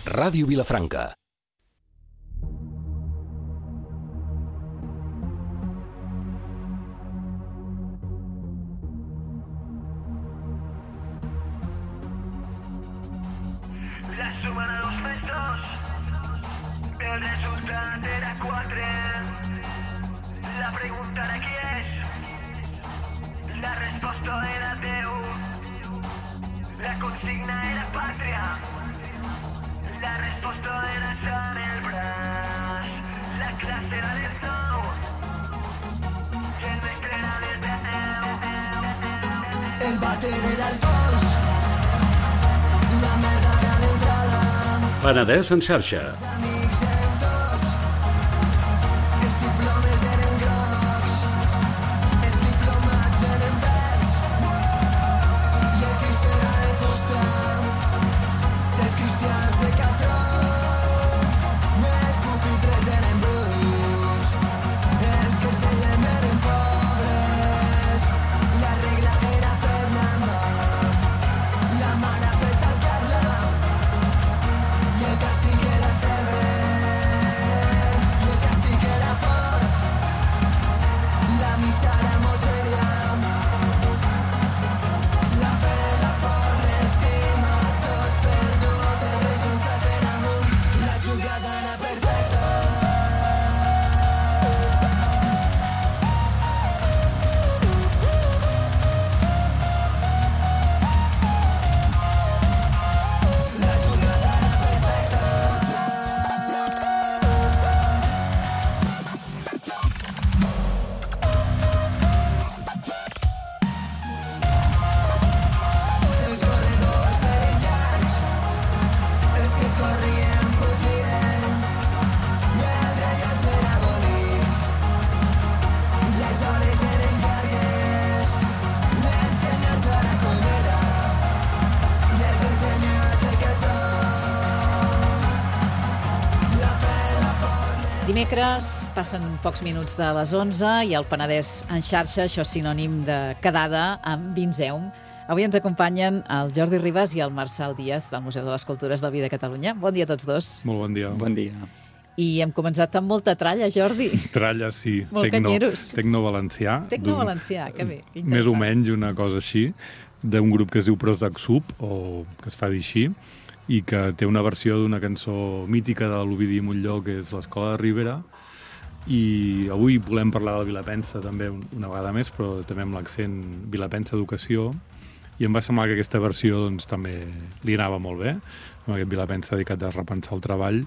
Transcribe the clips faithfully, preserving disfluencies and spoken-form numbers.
Ràdio Vilafranca. La suma de dos més dos, el resultat era quatre. La pregunta era qui és, la resposta era Déu. La consigna era pàtria, la resposta era Sant el braç. La classe era del nou i el mestre era del deu. El vàter era el fons, la merda era l'entrada. Penedès en xarxa. Els amics eren tots, els diplomes eren grocs, els diplomats eren verds, i el Crist era de fusta, els cristians de cartró, els pupitres eren bruts, els que seiem eren pobres, la regla era per la mà, la mare per tancar-la, i el càstig era sever, i el càstig era por, la missa era molt sèria, la fe, la por, l'estima, tot perdut, el resultat era un, la jugada era perfecta. La jugada era perfecta. Els corredors eren llargs, els que corrien fugien, i el rellotge era bonic. Les hores eren llargues, les senyals de la colmena, i els ensenyats el que són. La fe, la por, les... Dimecres passen pocs minuts de les onze i el Penedès en xarxa, això és sinònim de quedada amb Vinzeum. Avui ens acompanyen el Jordi Ribas i el Marçal Díaz del Museu de les Cultures del Vi de Catalunya. Bon dia a tots dos. Molt bon dia. Bon dia. I hem començat amb molta tralla, Jordi. Tralla, sí. Molt Tecno, canyeros. Tecno valencià. Tecno d'un- valencià, que bé, que Més o interessant. menys una cosa així, d'un grup que es diu Prozac Sub, o que es fa dir així, i que té una versió d'una cançó mítica de l'Ovidi Montllor, que és l'Escola de Ribera, i avui volem parlar del Vilapensa també un- una vegada més, però també amb l'accent Vilapensa Educació, i em va semblar que aquesta versió doncs, també li anava molt bé, amb aquest Vilapensa dedicat a repensar el treball,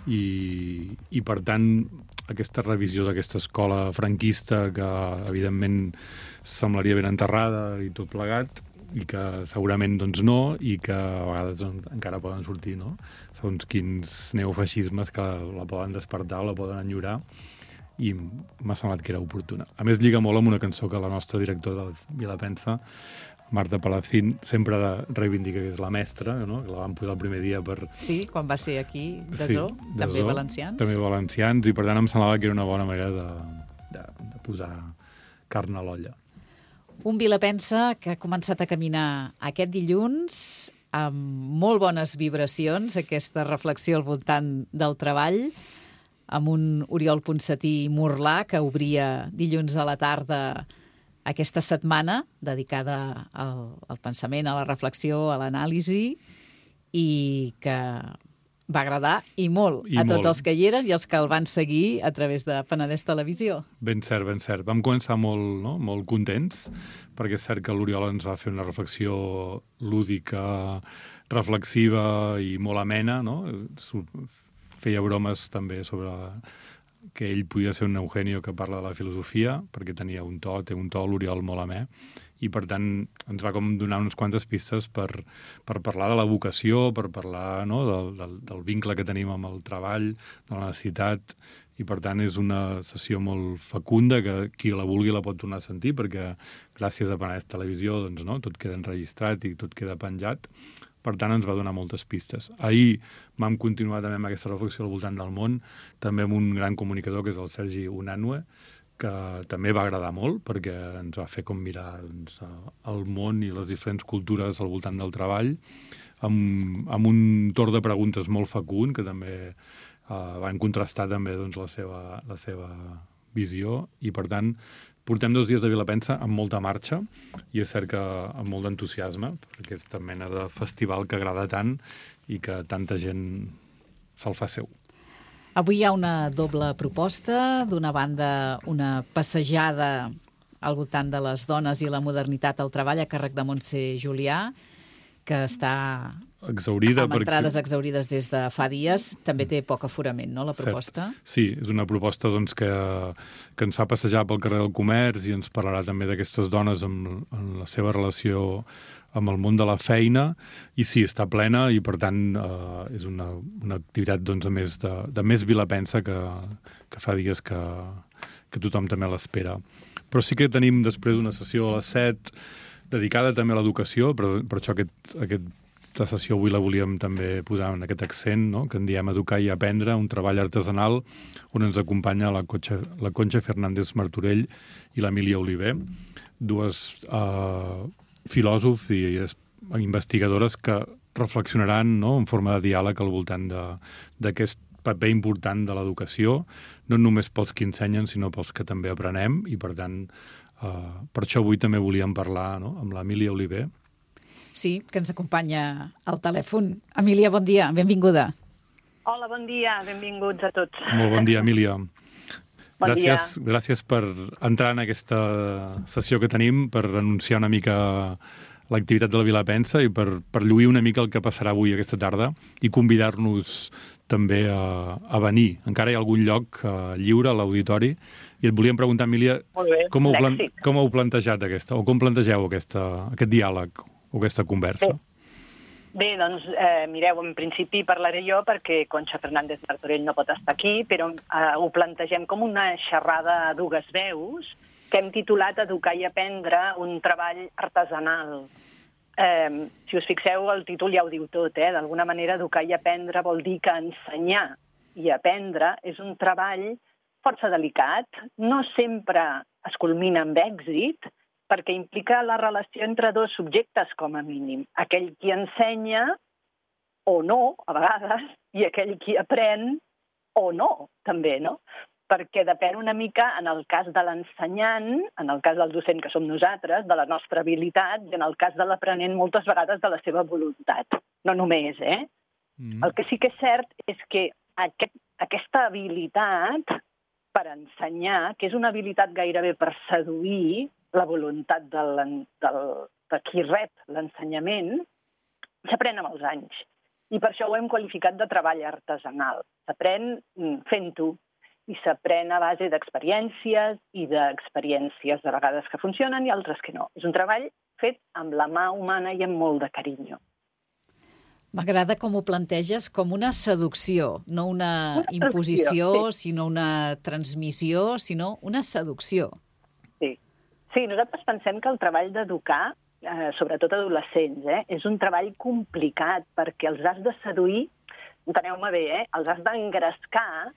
i, i per tant aquesta revisió d'aquesta escola franquista que evidentment semblaria ben enterrada i tot plegat, i que segurament doncs no, i que a vegades doncs, encara poden sortir, no? Segons quins neofeixismes que la poden despertar o la poden enyorar, i m'ha semblat que era oportuna. A més, lliga molt amb una cançó que la nostra directora del Vilapensa, Marta Palacín, sempre reivindica que és la mestra, no? Que la van posar el primer dia per... Sí, quan va ser aquí, de Sí, Zoo, de també Zoo, valencians. També valencians, i per tant em semblava que era una bona manera de, de, de posar carn a l'olla. Un Vilapensa que ha començat a caminar aquest dilluns amb molt bones vibracions, aquesta reflexió al voltant del treball, amb un Oriol Ponsatí Morlà que obria dilluns a la tarda aquesta setmana dedicada al, al pensament, a la reflexió, a l'anàlisi, i que va agradar i molt I a tots molt. els que hi eren i els que el van seguir a través de Penedès Televisió. Ben cert, ben cert. Vam començar molt, no? molt contents, perquè és cert que l'Oriol ens va fer una reflexió lúdica, reflexiva i molt amena, no? Feia bromes també sobre que ell podia ser un Eugenio que parla de la filosofia, perquè tenia un to, té un to l'Oriol molt amè, i per tant ens va com donar unes quantes pistes per, per parlar de la vocació, per parlar, no? del, del, del vincle que tenim amb el treball, de la necessitat, i per tant és una sessió molt fecunda que qui la vulgui la pot tornar a sentir, perquè gràcies a Penedès Televisió doncs, no? Tot queda enregistrat i tot queda penjat. Per tant, ens va donar moltes pistes. Ahir vam continuar també amb aquesta reflexió al voltant del món, també amb un gran comunicador, que és el Sergi Unanue, que també va agradar molt, perquè ens va fer com mirar doncs, el món i les diferents cultures al voltant del treball, amb, amb un torn de preguntes molt fecund, que també eh, van contrastar també doncs, la, seva, la seva visió, i per tant portem dos dies de Vilapensa amb molta marxa, i és cert que amb molt d'entusiasme, per aquesta mena de festival que agrada tant i que tanta gent se'l fa seu. Avui hi ha una doble proposta. D'una banda, una passejada al voltant de les dones i la modernitat al treball a càrrec de Montse Julià, que està exhaurida amb entrades perquè... exhaurides des de fa dies. També té poc aforament, no, la proposta? Cert. Sí, és una proposta doncs, que, que ens fa passejar pel carrer del Comerç i ens parlarà també d'aquestes dones amb, amb la seva relació amb el món de la feina, i sí, està plena, i per tant eh, és una, una activitat doncs, de, més de, de més Vilapensa que, que fa dies que, que tothom també l'espera. Però sí que tenim després una sessió a les set dedicada també a l'educació, per, per això aquest, aquesta sessió avui la volíem també posar en aquest accent, no? Que en diem Educar i Aprendre, un treball artesanal on ens acompanya la, Concha, la Concha Fernández Martorell i l'Emília Oliver, dues eh, filòsofs i investigadores que reflexionaran, no?, en forma de diàleg al voltant d'aquest paper important de l'educació, no només pels que ensenyen, sinó pels que també aprenem, i per tant, eh, per això avui també volíem parlar, no?, amb l'Emília Oliver. Sí, que ens acompanya al telèfon. Emília, bon dia, benvinguda. Hola, bon dia, benvinguts a tots. Molt bon dia, Emília. Bon gràcies, dia. gràcies per entrar en aquesta sessió que tenim, per anunciar una mica l'activitat de la Vilapensa i per, per lluir una mica el que passarà avui aquesta tarda i convidar-nos també a, a venir. Encara hi ha algun lloc uh, lliure a l'auditori, i et volíem preguntar, Emília, bé, com heu, plan com heu plantejat aquesta, o com plantegeu aquesta, aquest diàleg o aquesta conversa? Bé. Bé, doncs, eh, mireu, en principi parlaré jo perquè Concha Fernández Martorell no pot estar aquí, però eh, ho plantegem com una xerrada a dues veus que hem titulat Educar i Aprendre, un treball artesanal. Eh, si us fixeu, el títol ja ho diu tot, eh? D'alguna manera, educar i aprendre vol dir que ensenyar i aprendre és un treball força delicat, no sempre es culmina amb èxit, perquè implica la relació entre dos subjectes, com a mínim. Aquell qui ensenya, o no, a vegades, i aquell qui aprèn, o no, també, no? Perquè depèn una mica, en el cas de l'ensenyant, en el cas del docent que som nosaltres, de la nostra habilitat, i en el cas de l'aprenent, moltes vegades de la seva voluntat. No només, eh? Mm. El que sí que és cert és que aquest, aquesta habilitat per ensenyar, que és una habilitat gairebé per seduir la voluntat del, del, de qui rep l'ensenyament, s'aprèn amb els anys. I per això ho hem qualificat de treball artesanal. S'aprèn fent-ho, i s'aprèn a base d'experiències i d'experiències de vegades que funcionen i altres que no. És un treball fet amb la mà humana i amb molt de carinyo. M'agrada com ho planteges com una seducció, no una, una imposició, sí. sinó una transmissió, sinó una seducció. Sí. Sí, nosaltres pensem que el treball d'educar, eh, sobretot adolescents, eh, és un treball complicat perquè els has de seduir, enteneu-me bé, eh, els has d'engrescar,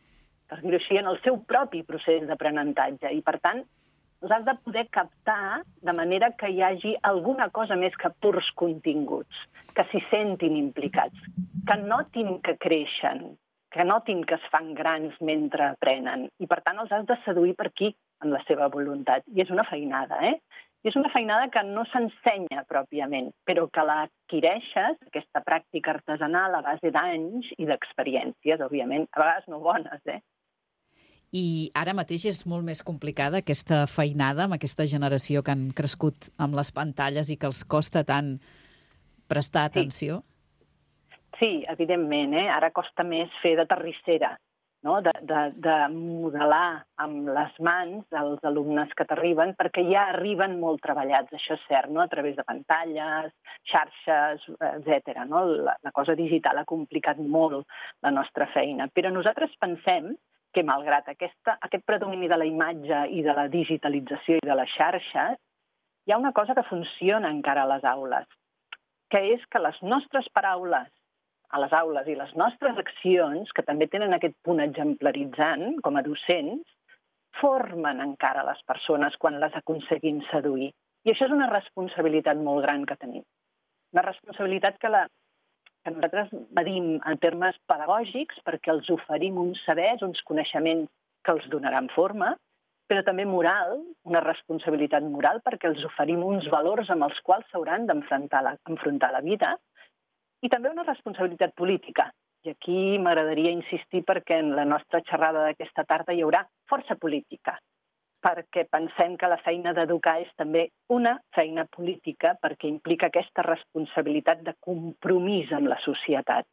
per dir-ho així, en el seu propi procés d'aprenentatge. I, per tant, els has de poder captar de manera que hi hagi alguna cosa més que purs continguts, que s'hi sentin implicats, que notin que creixen, que notin que es fan grans mentre aprenen. I, per tant, els has de seduir per aquí, amb la seva voluntat. I és una feinada, eh? I és una feinada que no s'ensenya pròpiament, però que l'adquireixes, aquesta pràctica artesanal, a base d'anys i d'experiències, òbviament, a vegades no bones, eh? I ara mateix és molt més complicada aquesta feinada amb aquesta generació que han crescut amb les pantalles i que els costa tant prestar atenció? Sí, sí, evidentment, eh? Ara costa més fer de terrissera, no? de, de, de modelar amb les mans els alumnes que t'arriben, perquè ja arriben molt treballats, això és cert, no? A través de pantalles, xarxes, etcètera. No? La, la cosa digital ha complicat molt la nostra feina, però nosaltres pensem que malgrat aquesta, aquest predomini de la imatge i de la digitalització i de les xarxes, hi ha una cosa que funciona encara a les aules, que és que les nostres paraules a les aules i les nostres accions, que també tenen aquest punt exemplaritzant com a docents, formen encara les persones quan les aconseguim seduir. I això és una responsabilitat molt gran que tenim. Una responsabilitat que, la, que nosaltres medim en termes pedagògics perquè els oferim uns sabers, uns coneixements que els donaran forma, però també moral, una responsabilitat moral perquè els oferim uns valors amb els quals s'hauran d'enfrontar la, enfrontar la vida, i també una responsabilitat política. I aquí m'agradaria insistir perquè en la nostra xerrada d'aquesta tarda hi haurà força política, perquè pensem que la feina d'educar és també una feina política perquè implica aquesta responsabilitat de compromís amb la societat.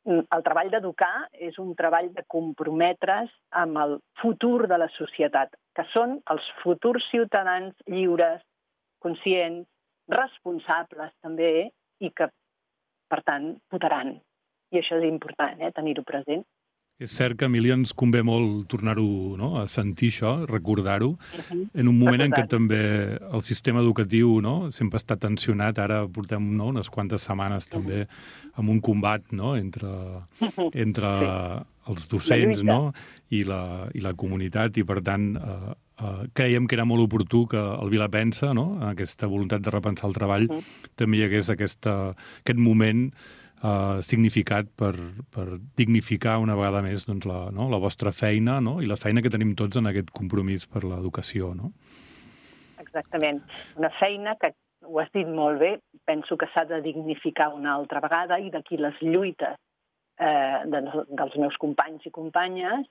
El treball d'educar és un treball de comprometre's amb el futur de la societat, que són els futurs ciutadans lliures, conscients, responsables també, i que, per tant, votaran. I això és important, eh, tenir-ho present. És cert que, Emília, ens convé molt tornar-ho, no?, a sentir això, recordar-ho, uh-huh. en un moment en què també el sistema educatiu, no?, sempre està tensionat. Ara portem, no?, unes quantes setmanes uh-huh. també amb un combat, no?, entre, uh-huh. entre sí. els docents, no?, i la, i la comunitat, i per tant eh, eh, creiem que era molt oportú que el Vilapensa, no?, en aquesta voluntat de repensar el treball, uh-huh. també hi hagués aquesta, aquest moment Uh, significat per, per dignificar una vegada més doncs, la, no? la vostra feina, no? I la feina que tenim tots en aquest compromís per l'educació. No? Exactament. Una feina que, ho has dit molt bé, penso que s'ha de dignificar una altra vegada, i d'aquí les lluites eh, de, dels meus companys i companyes,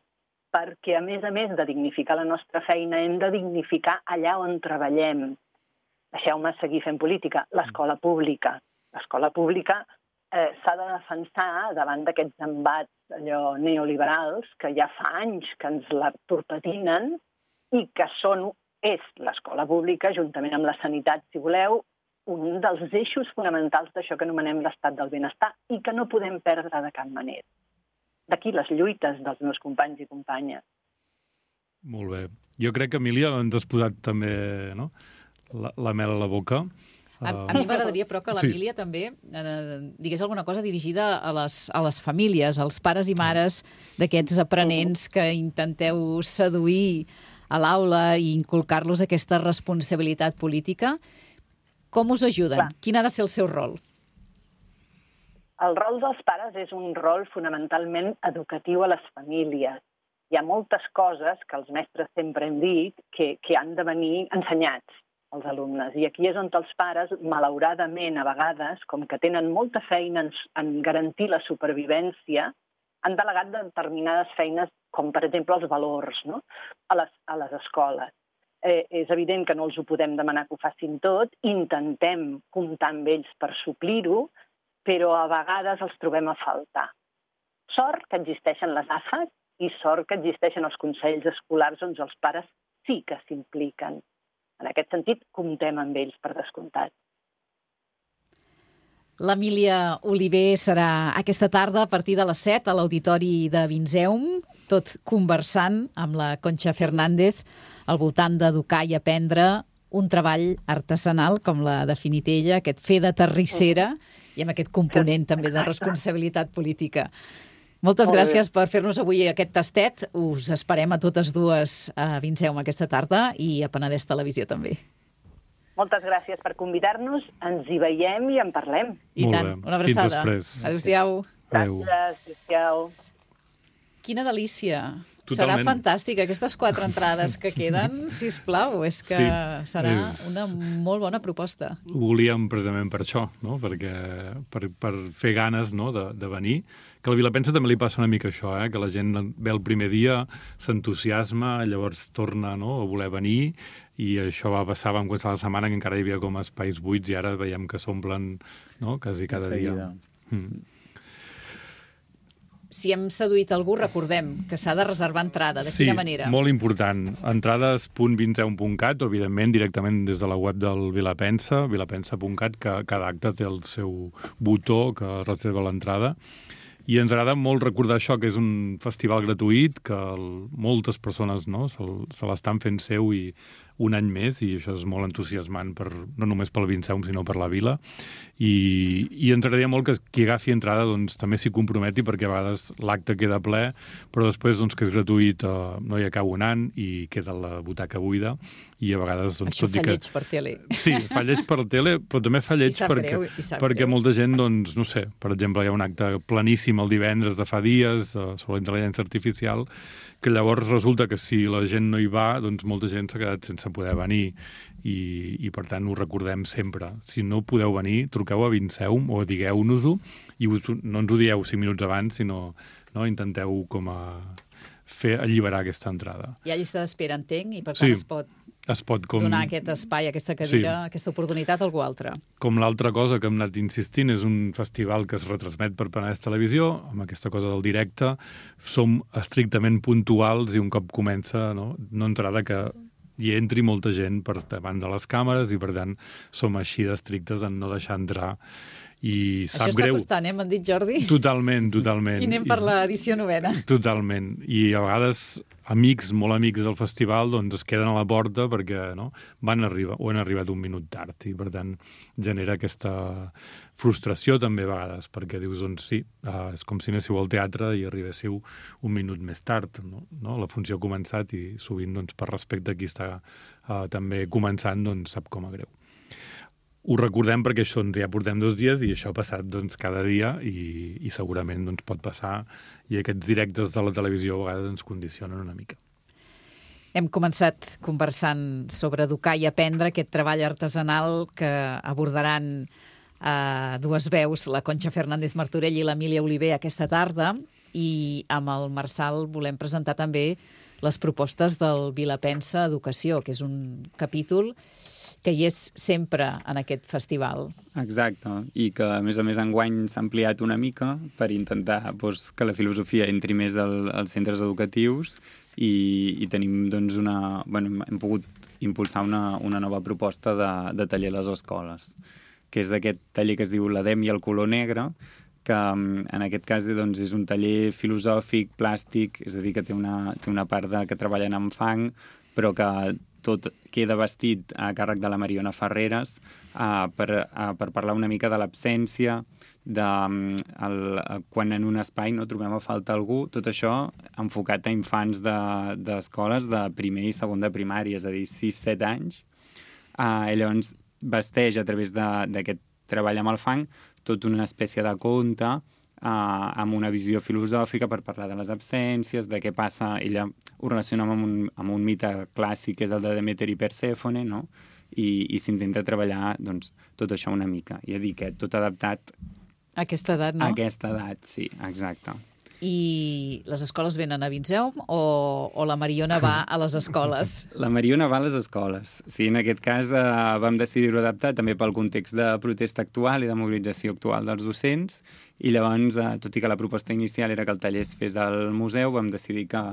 perquè a més a més de dignificar la nostra feina hem de dignificar allà on treballem. Deixeu-me seguir fent política. L'escola pública. L'escola pública Eh, s'ha de defensar davant d'aquests embats allò neoliberals que ja fa anys que ens la torpedinen i que són, és l'escola pública, juntament amb la sanitat, si voleu, un dels eixos fonamentals d'això que anomenem l'estat del benestar i que no podem perdre de cap manera. D'aquí les lluites dels meus companys i companyes. Molt bé. Jo crec que, Emília, ens has posat també, no?, la, la mel a la boca. A, a mi m'agradaria, però, que l'Emília sí. també eh, digués alguna cosa dirigida a les, a les famílies, als pares i mares d'aquests aprenents que intenteu seduir a l'aula i inculcar-los aquesta responsabilitat política. Com us ajuden? Clar. Quin ha de ser el seu rol? El rol dels pares és un rol fonamentalment educatiu a les famílies. Hi ha moltes coses que els mestres sempre hem dit que, que han de venir ensenyats als alumnes. I aquí és on els pares, malauradament, a vegades, com que tenen molta feina en, en garantir la supervivència, han delegat determinades feines, com per exemple els valors, no?, a, les, a les escoles. Eh, és evident que no els ho podem demanar que ho facin tot, intentem comptar amb ells per suplir-ho, però a vegades els trobem a faltar. Sort que existeixen les A F A s i sort que existeixen els consells escolars on els pares sí que s'impliquen. En aquest sentit, comptem amb ells, per descomptat. L'Emília Oliver serà aquesta tarda a partir de les set a l'Auditori de Vinzeum, tot conversant amb la Concha Fernández al voltant d'educar i aprendre un treball artesanal, com l'ha definit ella, aquest fer de terrissera, i amb aquest component també de responsabilitat política. Moltes gràcies per fer-nos avui aquest tastet. Us esperem a totes dues a Vinzeum aquesta tarda i a Penedès Televisió també. Moltes gràcies per convidar-nos. Ens hi veiem i en parlem. I tant. Una abraçada. Fins després. Adéu-siau. Gràcies. Adéu-siau. Quina delícia. Totalment. Serà fantàstic. Aquestes quatre entrades que queden, sisplau, és que sí, serà és... una molt bona proposta. Ho volíem precisament per això, no? Perquè, per, per fer ganes, no?, de, de venir. Que al Vilapensa també li passa una mica això, eh? Que la gent ve el primer dia, s'entusiasma, llavors torna, no?, a voler venir, i això va passar, vam començar la setmana que encara hi havia com espais buits i ara veiem que s'omplen, no?, quasi cada dia. Mm. Si hem seduït algú, recordem que s'ha de reservar entrada. De quina manera? Sí, molt important. Entrades punt vinzeum punt cat o, evidentment, directament des de la web del Vilapensa, vilapensa punt cat, que cada acte té el seu botó que reserva l'entrada. I ens agrada molt recordar això, que és un festival gratuït, que el, moltes persones, no?, se, se l'estan fent seu i un any més, i això és molt entusiasmant, per, no només pel Vinceum, sinó per la vila. I, i ens agradaria molt que qui agafi entrada doncs, també s'hi comprometi, perquè a vegades l'acte queda ple, però després doncs, que és gratuït eh, no hi acaba un any i queda la butaca buida, i a vegades... Doncs, Això tot fa que... lleig per tele. Sí, fa lleig per tele, però també fa lleig perquè, greu, perquè greu. molta gent, doncs, no sé, per exemple, hi ha un acte planíssim el divendres de fa dies eh, sobre la intel·ligència artificial, que llavors resulta que si la gent no hi va, doncs molta gent s'ha quedat sense poder venir i, i per tant ho recordem sempre. Si no podeu venir, truqueu a Vinceum o digueu-nos-ho i us, no ens ho dieu cinc minuts abans, sinó no, intenteu com a fer alliberar aquesta entrada. Hi ha llista d'espera, entenc, i per tant Sí. es pot Es pot com... donar aquest espai, aquesta cadira, Sí. aquesta oportunitat a algú altre. Com l'altra cosa que hem anat insistint, és un festival que es retransmet per Penedès Televisió, amb aquesta cosa del directe. Som estrictament puntuals i un cop comença, no, no ens agrada que hi entri molta gent per davant de les càmeres i, per tant, som així d'estrictes en no deixar entrar. I sap Això està greu. costant, eh? M'han dit, Jordi? Totalment, totalment. I anem per l'edició novena. Totalment. I a vegades amics, molt amics del festival, doncs es queden a la porta perquè no, van arribar o han arribat un minut tard i, per tant, genera aquesta frustració també a vegades, perquè dius, doncs sí, uh, és com si anéssiu al teatre i arribéssiu un minut més tard, no? No? La funció ha començat i sovint, doncs, per respecte a qui està uh, també començant, doncs sap com a greu. Ho recordem perquè això ens ja portem dos dies i això ha passat doncs, cada dia i, i segurament doncs, pot passar i aquests directes de la televisió a vegades ens condicionen una mica. Hem començat conversant sobre educar i aprendre, aquest treball artesanal que abordaran eh, dues veus, la Conxa Fernández Martorell i l'Emília Oliver aquesta tarda, i amb el Marçal volem presentar també les propostes del Vilapensa Educació, que és un capítol que hi és sempre en aquest festival. Exacte, i que a més a més enguany s'ha ampliat una mica per intentar doncs, que la filosofia entri més al, als centres educatius i, i tenim doncs una... Bueno, hem pogut impulsar una, una nova proposta de, de taller a les escoles, que és d'aquest taller que es diu l'Edem i el color negre, que en aquest cas doncs, és un taller filosòfic, plàstic, és a dir, que té una, té una part de, que treballen amb fang, però que tot queda vestit a càrrec de la Mariona Ferreres uh, per, uh, per parlar una mica de l'absència, de um, el, uh, quan en un espai no trobem a falta algú, tot això enfocat a infants d'escoles de, de primer i segon de primària, és a dir, sis set anys. Uh, i llavors vesteix a través d'aquest treball amb el fang tota una espècie de conte Uh, amb una visió filosòfica per parlar de les absències, de què passa, ella ho relaciona amb un, amb un mite clàssic que és el de Demeter i Persèfone, no? I, i s'intenta treballar doncs, tot això una mica, i a dir que tot adaptat A aquesta edat, no? a aquesta edat, sí, exacte. I les escoles venen a Vinceum o, o la Mariona va a les escoles? La Mariona va a les escoles. Sí, en aquest cas eh, vam decidir-ho adaptar també pel context de protesta actual i de mobilització actual dels docents, i llavors, eh, tot i que la proposta inicial era que el taller es fes del museu, vam decidir que,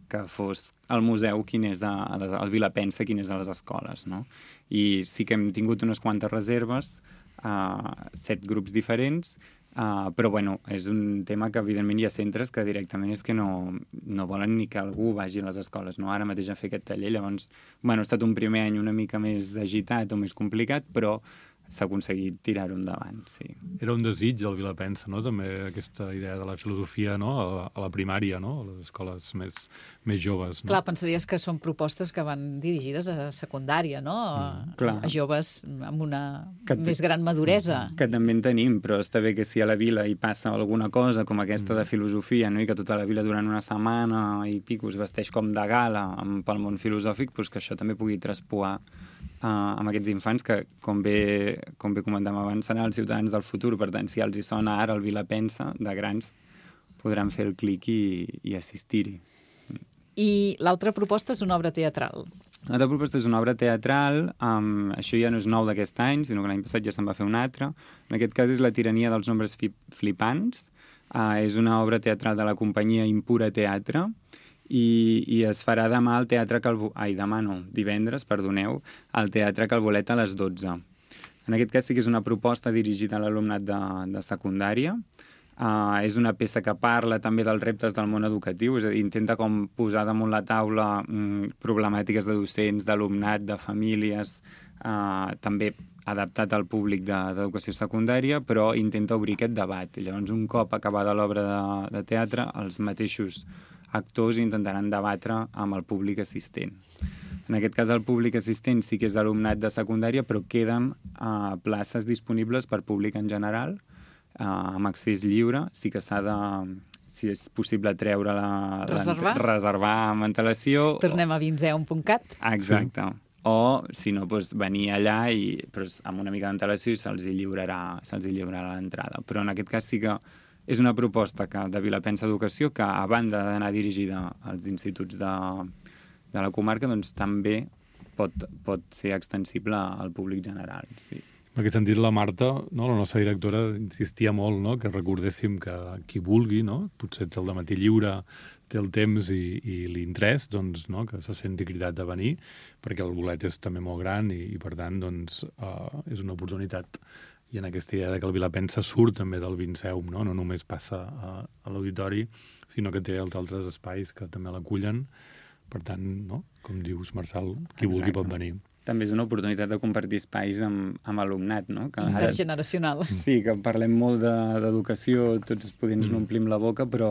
que fos el museu quin és de, el Vilapensa quin és de les escoles, no? I sí que hem tingut unes quantes reserves, eh, set grups diferents, Uh, però bueno, és un tema que evidentment hi ha centres que directament és que no, no volen ni que algú vagi a les escoles, no? Ara mateix a fer aquest taller, llavors, bueno, ha estat un primer any una mica més agitat o més complicat, però s'ha aconseguit tirar-ho endavant, sí. Era un desig el Vilapensa, no? També aquesta idea de la filosofia, no? A la, a la primària, no? A les escoles més, més joves, no? Clar, pensaries que són propostes que van dirigides a secundària, no? A, clar. a joves amb una Que t- més gran maduresa. Que també en tenim, però està bé que si a la vila hi passa alguna cosa com aquesta de filosofia, no? I que tota la vila durant una setmana i pico es vesteix com de gala amb, pel món filosòfic, doncs que això també pugui traspoar uh, amb aquests infants que, com bé, com bé comentàvem abans, seran els ciutadans del futur. Per tant, si els hi sona ara el Vilapensa, de grans, podran fer el clic i, i assistir-hi. I l'altra proposta és una obra teatral. L'altra proposta és una obra teatral, um, això ja no és nou d'aquest any, sinó que l'any passat ja se'n va fer una altra. En aquest cas és La tirania dels nombres fi flipants. Uh, és una obra teatral de la companyia Impura Teatre, i, i es farà demà al Teatre Calvo... Ai, demà no, divendres, perdoneu, al Teatre Calbolet a les dotze. En aquest cas sí que és una proposta dirigida a l'alumnat de, de secundària, Uh, és una peça que parla també dels reptes del món educatiu, és a dir, intenta com posar damunt la taula mm, problemàtiques de docents, d'alumnat, de famílies, uh, també adaptat al públic d'educació secundària, però intenta obrir aquest debat. I llavors, un cop acabada l'obra de, de teatre, els mateixos actors intentaran debatre amb el públic assistent. En aquest cas, el públic assistent sí que és alumnat de secundària, però queden uh, places disponibles per públic en general, Uh, amb accés lliure. Sí que s'ha de, si és possible, treure la... Reservar? La, reservar amb antelació. Tornem a vinzeu punt cat. Exacte. Sí. O, si no, doncs, venir allà i, però amb una mica d'antelació i se'ls hi lliurarà, se'ls hi lliurarà l'entrada. Però en aquest cas sí que és una proposta que, de Vilapensa Educació que, a banda d'anar dirigida als instituts de, de la comarca, doncs també pot, pot ser extensible al públic general, sí. En aquest sentit, la Marta, no, la nostra directora, insistia molt, no?, que recordéssim que qui vulgui, no?, potser té el dematí lliure, té el temps i, i l'interès, doncs, no?, que se senti cridat a venir, perquè el bolet és també molt gran i, i per tant, doncs, uh, és una oportunitat. I en aquesta idea de que el Vilapensa surt també del Vinceum, no?, no només passa a, a l'auditori, sinó que té els altres espais que també l'acullen. Per tant, no?, com dius, Marçal, qui vulgui pot venir. També és una oportunitat de compartir espais amb, amb alumnat, no? Que intergeneracional. Ara, sí, que parlem molt d'educació, de, tots potser ens mm. n'omplim la boca, però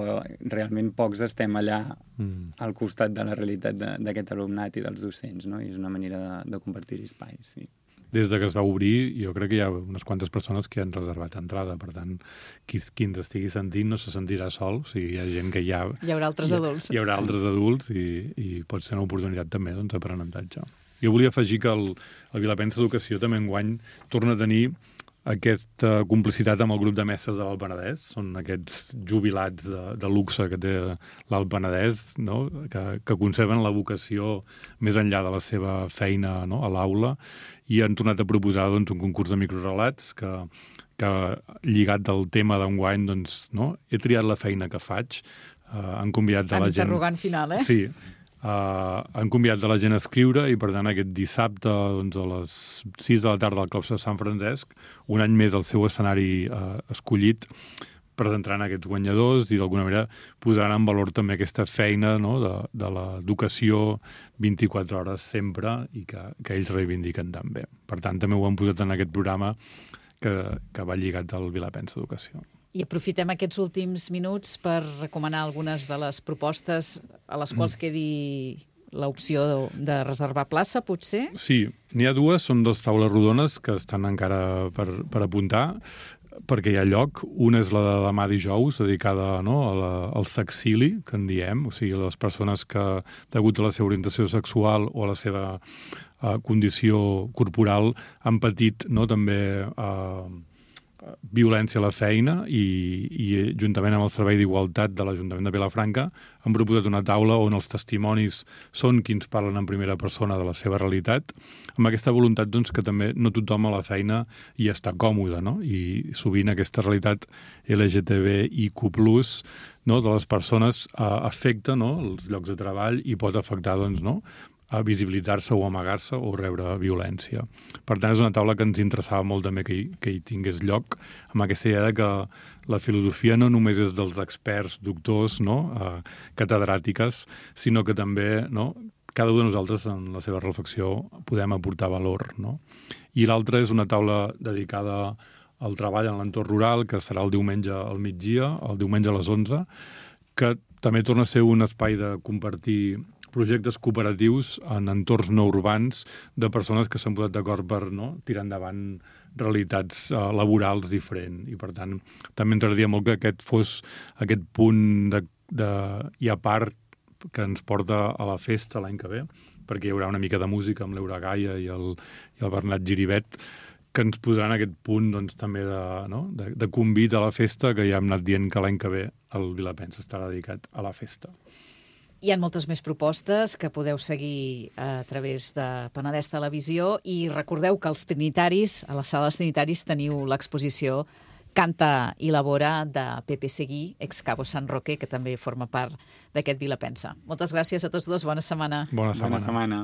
realment pocs estem allà mm. al costat de la realitat d'aquest alumnat i dels docents, no? I és una manera de, de compartir espais, sí. Des de que es va obrir, jo crec que hi ha unes quantes persones que han reservat entrada, per tant, qui, qui ens estigui sentint no se sentirà sol, o sigui, hi ha gent que hi ha... Hi haurà altres hi, adults. Hi haurà altres adults i, i pot ser una oportunitat també doncs, d'aprenentatge. Jo volia afegir que el, el Vilapensa Educació també enguany torna a tenir aquesta complicitat amb el grup de mestres de l'Alt Penedès. Són aquests jubilats de, de luxe que té l'Alt Penedès, no?, que, que conserven la vocació més enllà de la seva feina, no?, a l'aula, i han tornat a proposar doncs, un concurs de microrelats que, que lligat del tema d'enguany, doncs, no?, he triat la feina que faig, uh, han convidat de la gent... Interrogant final, eh? Sí. Uh, han convidat de la gent a escriure i, per tant, aquest dissabte doncs, a les sis de la tarda al Claustre de Sant Francesc, un any més el seu escenari uh, escollit, presentaran aquests guanyadors i, d'alguna manera, posaran en valor també aquesta feina, no?, de, de l'educació vint-i-quatre hores sempre i que, que ells reivindiquen també. Per tant, també ho han posat en aquest programa que, que va lligat al Vilapensa Educació. I aprofitem aquests últims minuts per recomanar algunes de les propostes a les quals quedi l'opció de, de reservar plaça, potser? Sí, n'hi ha dues, són dues taules rodones que estan encara per, per apuntar, perquè hi ha lloc. Una és la de demà dijous, dedicada, no?, a la, al sexili, que en diem, o sigui, les persones que, degut a la seva orientació sexual o a la seva uh, condició corporal, han patit, no?, també... Uh, violència a la feina i, i juntament amb el Servei d'Igualtat de l'Ajuntament de Vilafranca han proposat una taula on els testimonis són qui ens parlen en primera persona de la seva realitat, amb aquesta voluntat doncs, que també no tothom a la feina hi està còmode, no? I sovint aquesta realitat L G T B I Q plus, no?, de les persones eh, afecta, no?, els llocs de treball i pot afectar, doncs, no?, a visibilitzar-se o amagar-se o rebre violència. Per tant, és una taula que ens interessava molt també que hi, que hi tingués lloc, amb aquesta idea de que la filosofia no només és dels experts, doctors, no?, eh, catedràtiques, sinó que també, no?, cada un de nosaltres en la seva reflexió podem aportar valor, no? I l'altra és una taula dedicada al treball en l'entorn rural, que serà el diumenge al migdia, el diumenge a les onze, que també torna a ser un espai de compartir projectes cooperatius en entorns no urbans de persones que s'han posat d'acord per, no?, tirar endavant realitats uh, laborals diferents. I, per tant, també ens agradaria molt que aquest fos aquest punt de, de, i a part que ens porta a la festa l'any que ve, perquè hi haurà una mica de música amb l'Eura Gaia i el, i el Bernat Giribet, que ens posaran aquest punt doncs, també de, no?, de, de convit a la festa, que ja hem anat dient que l'any que ve el Vilapensa estarà dedicat a la festa. Hi ha moltes més propostes que podeu seguir a través de Penedès Televisió i recordeu que els trinitaris, a les sales trinitaris, teniu l'exposició Canta i Labora de Pepe Seguí, ex Cabo San Roque, que també forma part d'aquest Vilapensa. Moltes gràcies a tots dos. Bona setmana. Bona setmana. Bona setmana.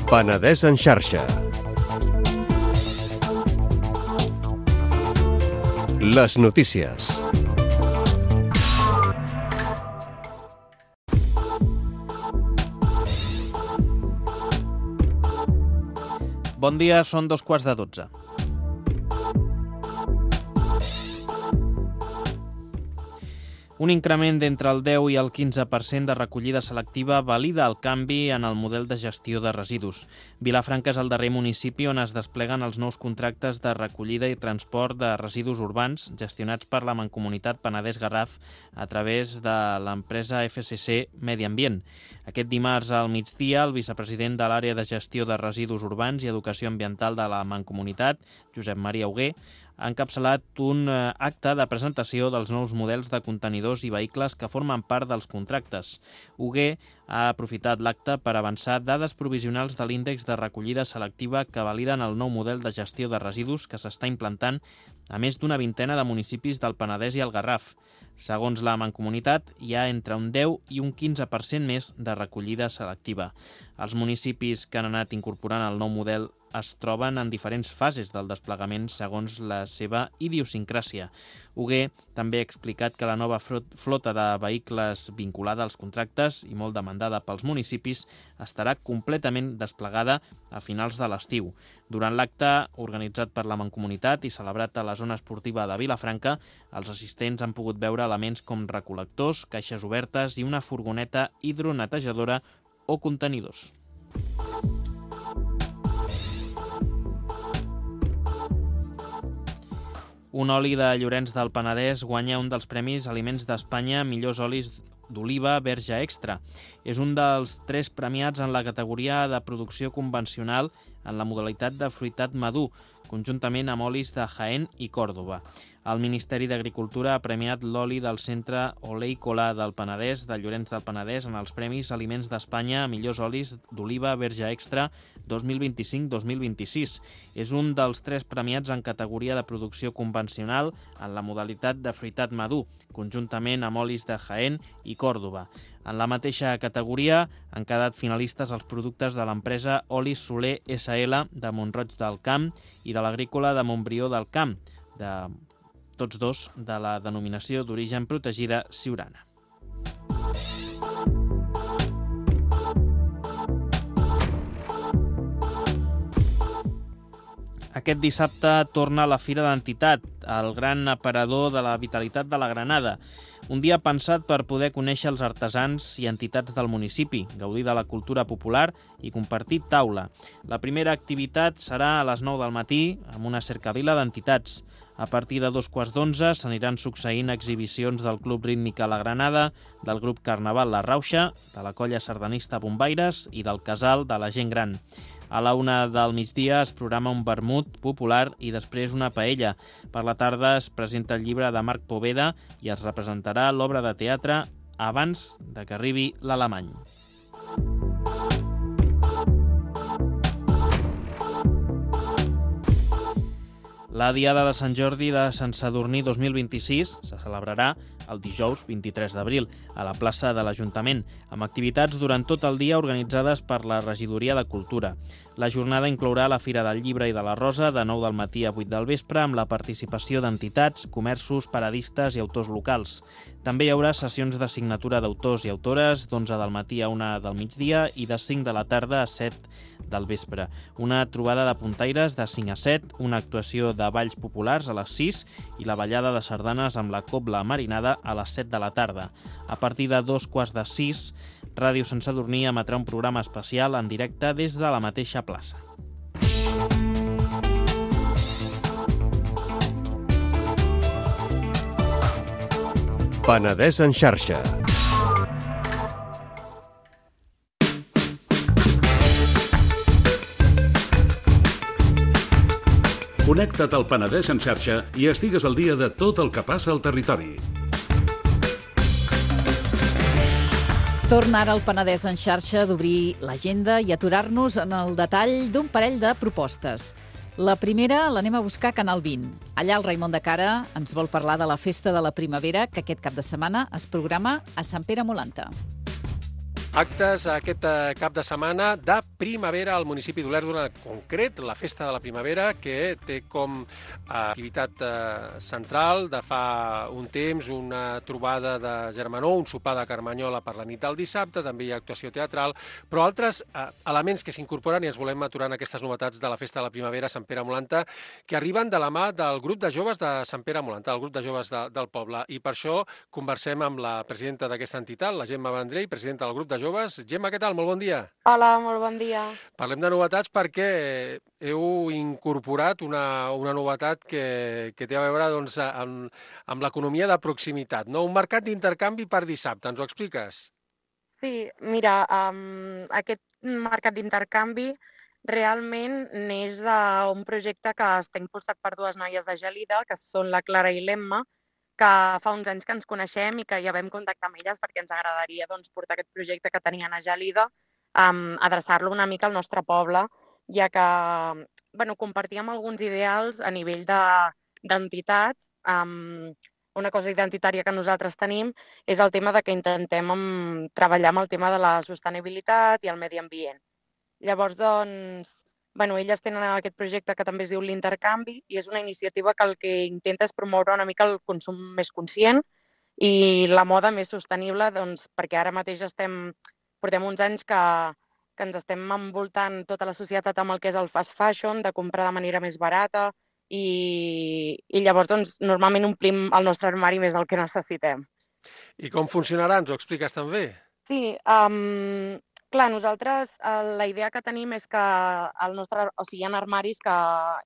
Penedès en xarxa. Les notícies. Bon dia, són dos quarts de dotze. Un increment d'entre el deu i el quinze per cent de recollida selectiva valida el canvi en el model de gestió de residus. Vilafranca és el darrer municipi on es despleguen els nous contractes de recollida i transport de residus urbans gestionats per la Mancomunitat Penedès-Garraf a través de l'empresa F C C Medi Ambient. Aquest dimarts al migdia, el vicepresident de l'àrea de gestió de residus urbans i educació ambiental de la Mancomunitat, Josep Maria Hugué, ha encapçalat un acte de presentació dels nous models de contenidors i vehicles que formen part dels contractes. Hugué ha aprofitat l'acte per avançar dades provisionals de l'índex de recollida selectiva que validen el nou model de gestió de residus que s'està implantant a més d'una vintena de municipis del Penedès i el Garraf. Segons la Mancomunitat, hi ha entre un deu i un quinze per cent més de recollida selectiva. Els municipis que han anat incorporant el nou model es troben en diferents fases del desplegament segons la seva idiosincràsia. Hugué també ha explicat que la nova flota de vehicles vinculada als contractes i molt demandada pels municipis estarà completament desplegada a finals de l'estiu. Durant l'acte organitzat per la Mancomunitat i celebrat a la zona esportiva de Vilafranca, els assistents han pogut veure elements com recol·lectors, caixes obertes i una furgoneta hidronetejadora o contenidors. Un oli de Llorenç del Penedès guanya un dels Premis Aliments d'Espanya Millors olis d'oliva verge extra. És un dels tres premiats en la categoria de producció convencional en la modalitat de fruitat madur, conjuntament amb olis de Jaén i Còrdova. El Ministeri d'Agricultura ha premiat l'oli del Centre Oleícola del Penedès de Llorenç del Penedès en els Premis Aliments d'Espanya Millors olis d'oliva verge extra dos mil vint-i-cinc dos mil vint-i-sis. És un dels tres premiats en categoria de producció convencional en la modalitat de fruitat madur, conjuntament amb olis de Jaén i Còrdova. En la mateixa categoria han quedat finalistes els productes de l'empresa Olis Soler S L de Mont-roig del Camp i de l'agrícola de Montbrió del Camp, de tots dos de la denominació d'origen protegida Siurana. Aquest dissabte torna la Fira d'Entitat, el gran aparador de la vitalitat de la Granada. Un dia pensat per poder conèixer els artesans i entitats del municipi, gaudir de la cultura popular i compartir taula. La primera activitat serà a les nou del matí amb una cercavila d'entitats. A partir de dos quarts d'onze s'aniran succeint exhibicions del Club Rítmic a la Granada, del grup Carnaval La Rauxa, de la colla sardanista Bombaires i del Casal de la Gent Gran. A la una del migdia es programa un vermut popular i després una paella. Per la tarda es presenta el llibre de Marc Poveda i es representarà l'obra de teatre abans de que arribi l'alemany. La Diada de Sant Jordi de Sant Sadurní dos mil vint-i-sis se celebrarà el dijous vint-i-tres d'abril a la plaça de l'Ajuntament, amb activitats durant tot el dia organitzades per la Regidoria de Cultura. La jornada inclourà la Fira del Llibre i de la Rosa de nou del matí a vuit del vespre amb la participació d'entitats, comerços, paradistes i autors locals. També hi haurà sessions de signatura d'autors i autores d'onze del matí a una del migdia i de cinc de la tarda a set del vespre. Una trobada de puntaires de cinc a set, una actuació de balls populars a les sis i la ballada de sardanes amb la cobla marinada a les set de la tarda. A partir de dos quarts de sis, Ràdio Sant Sadurní emetrà un programa especial en directe des de la mateixa plaça. Penedès en xarxa. Connecta't al Penedès en xarxa i estigues al dia de tot el que passa al territori. Torna ara al Penedès en xarxa d'obrir l'agenda i aturar-nos en el detall d'un parell de propostes. La primera l'anem a buscar a Canal vint. Allà el Raimon de Cara ens vol parlar de la Festa de la Primavera que aquest cap de setmana es programa a Sant Pere Molanta. Actes aquest eh, cap de setmana de primavera al municipi d'Olèrdola, en concret, la Festa de la Primavera, que té com eh, activitat eh, central de fa un temps una trobada de germanor, un sopar de carmanyola per la nit del dissabte, també hi ha actuació teatral, però altres eh, elements que s'incorporen, i ens volem aturar en aquestes novetats de la Festa de la Primavera a Sant Pere Molanta, que arriben de la mà del grup de joves de Sant Pere Molanta, el grup de joves de, del poble. I per això conversem amb la presidenta d'aquesta entitat, la Gemma Vendrell, presidenta del grup de joves. Gemma, què tal? Molt bon dia. Hola, molt bon dia. Parlem de novetats perquè heu incorporat una, una novetat que, que té a veure doncs, amb, amb l'economia de proximitat, no? Un mercat d'intercanvi per dissabte, ens ho expliques? Sí, mira, um, aquest mercat d'intercanvi realment neix d'un projecte que està impulsat per dues noies de Gelida, que són la Clara i l'Emma, que fa uns anys que ens coneixem i que ja vam contactar amb elles perquè ens agradaria doncs, portar aquest projecte que tenien a Gelida, um, adreçar-lo una mica al nostre poble, ja que bueno, compartíem alguns ideals a nivell d'entitat. De, um, una cosa identitària que nosaltres tenim és el tema de que intentem um, treballar amb el tema de la sostenibilitat i el medi ambient. Llavors, doncs, bueno, elles tenen aquest projecte que també es diu l'intercanvi i és una iniciativa que el que intenta és promoure una mica el consum més conscient i la moda més sostenible, doncs, perquè ara mateix estem, portem uns anys que, que ens estem envoltant tota la societat amb el que és el fast fashion, de comprar de manera més barata i, i llavors doncs, normalment omplim el nostre armari més del que necessitem. I com funcionarà? Ens ho expliques també? Sí, um, clar, nosaltres eh, la idea que tenim és que el nostre, o sigui, hi ha armaris que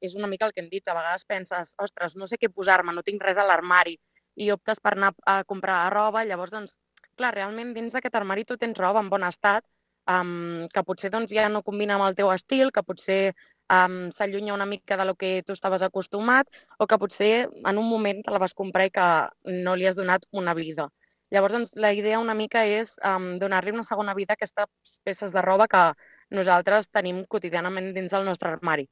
és una mica el que hem dit, a vegades penses, ostres, no sé què posar-me, no tinc res a l'armari, i optes per anar a comprar roba, llavors, doncs, clar, realment dins d'aquest armari tu tens roba en bon estat, um, que potser doncs, ja no combina amb el teu estil, que potser um, s'allunya una mica de lo que tu estaves acostumat, o que potser en un moment te la vas comprar i que no li has donat una vida. Llavors, doncs, la idea una mica és um, donar-li una segona vida a aquestes peces de roba que nosaltres tenim quotidianament dins del nostre armari.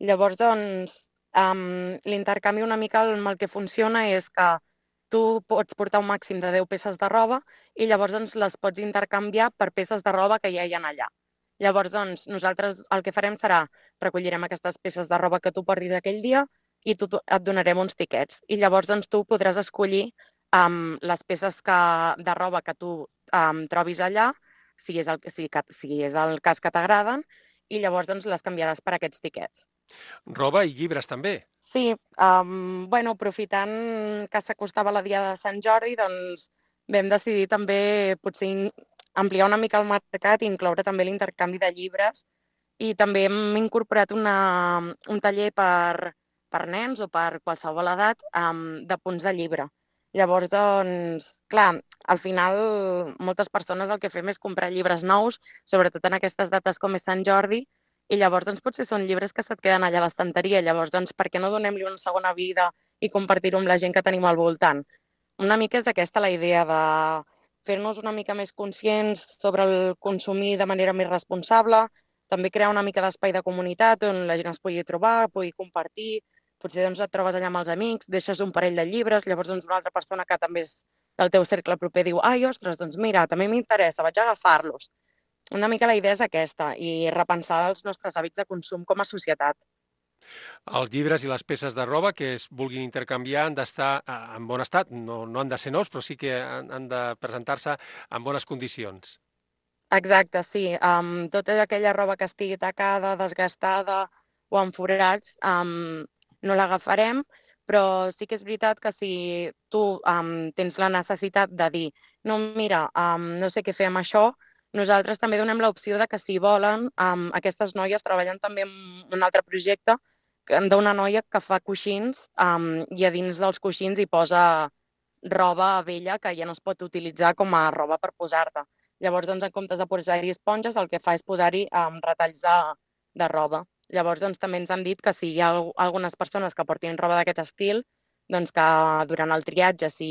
Llavors, doncs, um, l'intercanvi una mica amb el que funciona és que tu pots portar un màxim de deu peces de roba i llavors doncs, les pots intercanviar per peces de roba que ja hi ha allà. Llavors, doncs, nosaltres el que farem serà recollirem aquestes peces de roba que tu portis aquell dia i tu, tu et donarem uns tiquets. I llavors, doncs, tu podràs escollir Um, les peces que, de roba que tu um, trobis allà, si és el, si, si és el cas que t'agraden, i llavors doncs, les canviaràs per aquests tiquets. Roba i llibres també? Sí, um, bueno, aprofitant que s'acostava la dia de Sant Jordi, doncs vam decidir també potser ampliar una mica el mercat i incloure també l'intercanvi de llibres i també hem incorporat una, un taller per, per nens o per qualsevol edat um, de punts de llibre. Llavors, doncs, clar, al final moltes persones el que fem és comprar llibres nous, sobretot en aquestes dates com és Sant Jordi, i llavors doncs, potser són llibres que se't queden allà a l'estanteria. Llavors, doncs, per què no donem-li una segona vida i compartir-ho amb la gent que tenim al voltant? Una mica és aquesta la idea de fer-nos una mica més conscients sobre el consumir de manera més responsable, també crear una mica d'espai de comunitat on la gent es pugui trobar, pugui compartir. Potser doncs, et trobes allà amb els amics, deixes un parell de llibres, llavors doncs, una altra persona que també és del teu cercle proper diu ai, ostres, doncs mira, també m'interessa, vaig a agafar-los. Una mica la idea és aquesta i repensar els nostres hàbits de consum com a societat. Els llibres i les peces de roba que es vulguin intercanviar han d'estar en bon estat, no, no han de ser nous, però sí que han, han de presentar-se en bones condicions. Exacte, sí. Um, tota aquella roba que estigui tacada, desgastada o amb forats, um, no l'agafarem, però sí que és veritat que si tu um, tens la necessitat de dir no, mira, um, no sé què fer amb això, nosaltres també donem l'opció de que si volen, um, aquestes noies treballen també en un altre projecte d'una noia que fa coixins um, i a dins dels coixins hi posa roba vella que ja no es pot utilitzar com a roba per posar-te. Llavors, doncs, en comptes de posar-hi esponges, el que fa és posar-hi um, retalls de, de roba. Llavors, doncs, també ens han dit que si hi ha algunes persones que portin roba d'aquest estil, doncs que durant el triatge, si